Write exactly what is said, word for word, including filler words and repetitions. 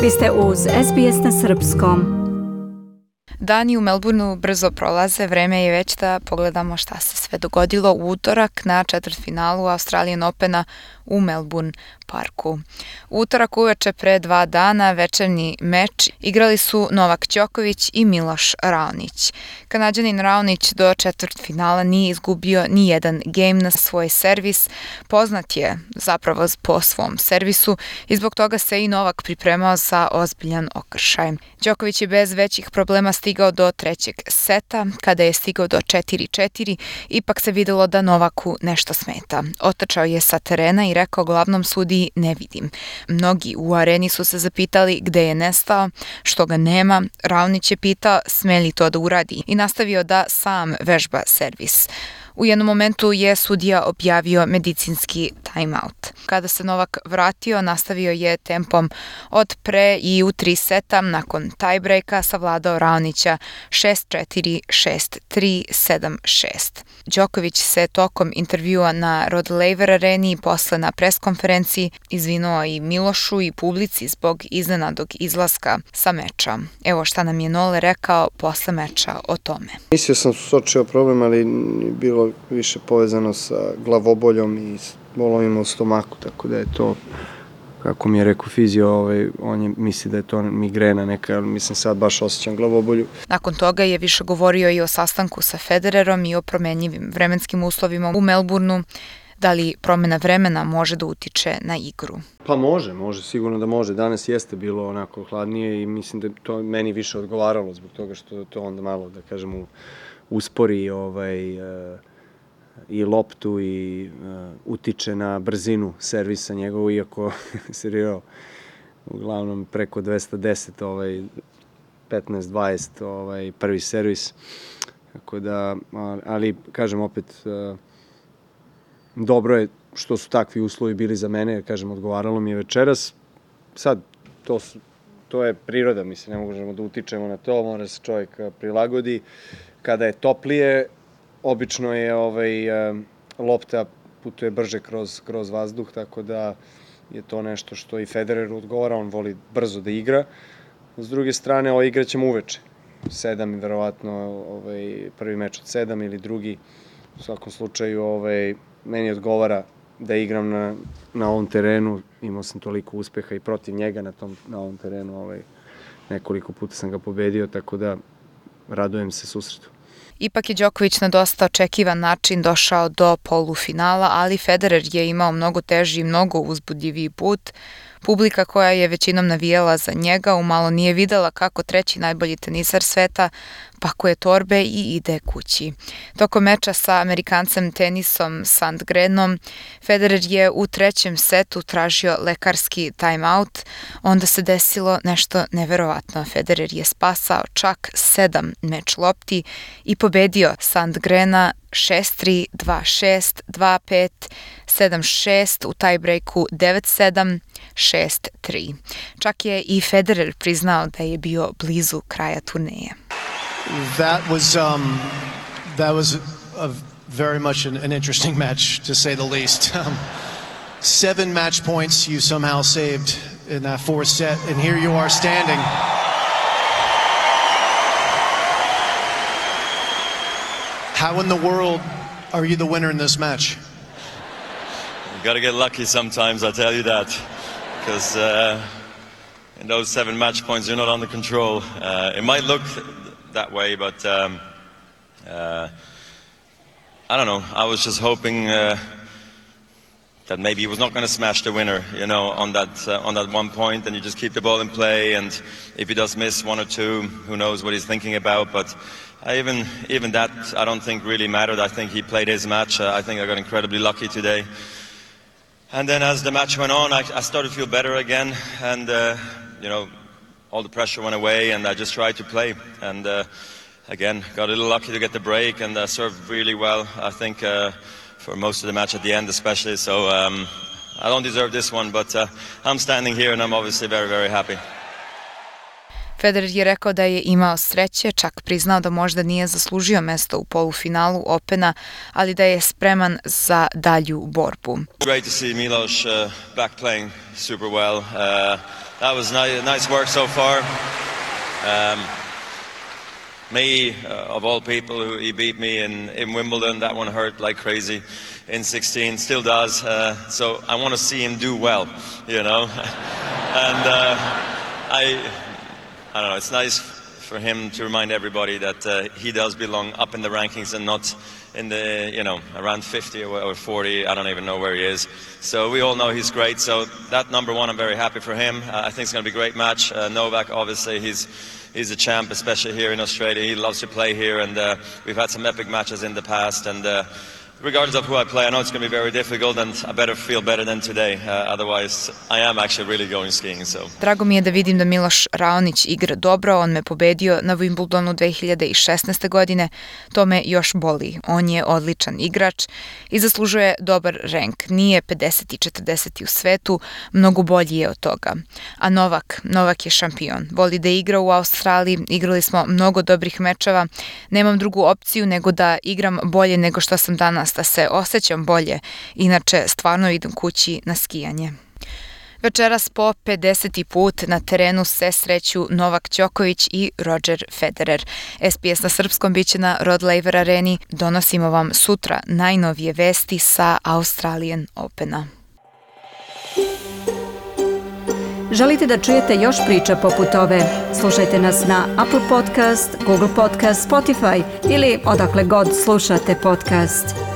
Vi ste uz S B S na srpskom. Dani u Melbourneu brzo prolaze, vreme je već da pogledamo šta se sve dogodilo u utorak na četvrtfinalu Australian Opena u Melbourne parku. U utorak uveče pre dva dana večernji meč igrali su Novak Đoković i Miloš Raonić. Kanađanin Raonić do četvrtfinala nije izgubio ni jedan gejm na svoj servis, poznat je zapravo po svom servisu i zbog toga se i Novak pripremao za ozbiljan okršaj. Đoković je bez većih problema stigao do trećeg seta, kada je stigao do četiri četiri, ipak se videlo da Novaku nešto smeta. Otrčao je sa terena i rekao glavnom sudiji ne vidim. Mnogi u areni su se zapitali gde je nestao, što ga nema. Raonić je pitao sme li to da uradi i nastavio da sam vežba servis. U jednom momentu je sudija objavio medicinski timeout. Kada se Novak vratio, nastavio je tempom od pre i u tri seta nakon tiebreaka savladao Raonića šest četiri, šest tri, sedam šest. Đoković se tokom intervjua na Rod Laver areni i posle na preskonferenciji izvinuo i Milošu i publici zbog iznenadnog izlaska sa meča. Evo šta nam je Nole rekao posle meča o tome. Mislio sam suočio problem, ali bilo više povezano sa glavoboljom i bolovima u stomaku, tako da je to, kako mi je rekao fizio, ovaj, on je misli da je to migrena neka, ali mislim sad baš osjećam glavobolju. Nakon toga je više govorio i o sastanku sa Federerom i o promenjivim vremenskim uslovima u Melbourneu. Da li promena vremena može da utiče na igru? Pa može, može, sigurno da može. Danas jeste bilo onako hladnije i mislim da to meni više odgovaralo zbog toga što to onda malo, da kažem, uspori ovaj, uh, i loptu i uh, utiče na brzinu servisa njegovu, iako serio uglavnom preko dvesta deset, ovaj, petnaest dvadeset ovaj, prvi servis. Tako da, ali kažem opet, uh, dobro je što su takvi uslovi bili za mene, jer kažem, odgovaralo mi je večeras. Sad, to, su, to je priroda, mislim, ne možemo da utičemo na to, mora se čovjek prilagodi. Kada je toplije, obično je ovaj, lopta putuje brže kroz, kroz vazduh, tako da je to nešto što i Federer odgovara, on voli brzo da igra. S druge strane, ovo igrat ćemo uveče. Sedam, verovatno, ovaj, prvi meč od sedam ili drugi. U svakom slučaju, ovaj, meni odgovara da igram na, na ovom terenu. Imao sam toliko uspeha i protiv njega na, tom, na ovom terenu. Ovaj, nekoliko puta sam ga pobedio, tako da radujem se susretu. Ipak je Đoković na dosta očekivan način došao do polufinala, ali Federer je imao mnogo teži i mnogo uzbudljiviji put. Publika koja je većinom navijala za njega umalo nije videla kako treći najbolji tenisar sveta pakuje torbe i ide kući. Tokom meča sa Amerikancem Tenisom Sandgrenom, Federer je u trećem setu tražio lekarski timeout, onda se desilo nešto neverovatno. Federer je spasao čak sedam meč lopti i pobedio Sandgrena šest tri, dva šest, dva pet, sedam šest, u tiebreaku devet sedam, šest tri. Čak je i Federer priznao da je bio blizu kraja turneje. That was um, that was a very much an, an interesting match, to say the least. Um, seven match points you somehow saved in that fourth set, and here you are standing. How in the world are you the winner in this match? You got to get lucky sometimes, I tell you that, because uh, in those seven match points you're not under control. Uh, it might look that way, but um, uh, I don't know. I was just hoping uh, that maybe he was not going to smash the winner, you know, on that uh, on that one point, and you just keep the ball in play. And if he does miss one or two, who knows what he's thinking about? But I even even that I don't think really mattered. I think he played his match. Uh, I think I got incredibly lucky today. And then as the match went on, I, I started to feel better again, and uh, you know. all the pressure went away, and I just tried to play. And uh, again, got a little lucky to get the break, and uh, served really well, I think, uh, for most of the match at the end especially. So um, I don't deserve this one, but uh, I'm standing here and I'm obviously very, very happy. Federer je rekao da je imao sreće, čak priznao da možda nije zaslužio mesto u polufinalu Opena, ali da je spreman za dalju borbu. Great to see Milos uh, back playing super well. Uh, that was ni- nice work so far. Um, me, uh, of all people, who he beat me in, in Wimbledon, that one hurt like crazy in sixteen, still does. Uh, so I want to see him do well, you know. and uh, I, I don't know, it's nice for him to remind everybody that uh, he does belong up in the rankings and not in the, you know, around fifty or forty. I don't even know where he is. So we all know he's great. So that number one, I'm very happy for him. Uh, I think it's going to be a great match. Uh, Novak, obviously, he's he's a champ, especially here in Australia. He loves to play here, and uh, we've had some epic matches in the past. And uh, regardless of who I play, I know it's going to be very difficult, and I better feel better than today. Uh, otherwise, I am actually really going skiing. So. Drago mi je da vidim da Miloš Raonić igra dobro, on me pobedio na Wimbledonu dve hiljade šesnaeste. godine, to me još boli. On je odličan igrač i zaslužuje dobar renk. Nije pedeset i četrdeset u svetu, mnogo bolji je od toga. A Novak, Novak je šampion. Voli da igra u Australiji, igrali smo mnogo dobrih mečeva. Nemam drugu opciju nego da igram bolje nego što sam danas, da se osjećam bolje, inače stvarno idem kući na skijanje. Večeras po pedeseti put na terenu se sreću Novak Đoković i Roger Federer. S B S na srpskom biće na Rod Laver Areni. Donosimo vam sutra najnovije vesti sa Australian Opena. Želite da čujete još priča poput ove? Slušajte nas na Apple Podcast, Google Podcast, Spotify ili odakle god slušate podcast.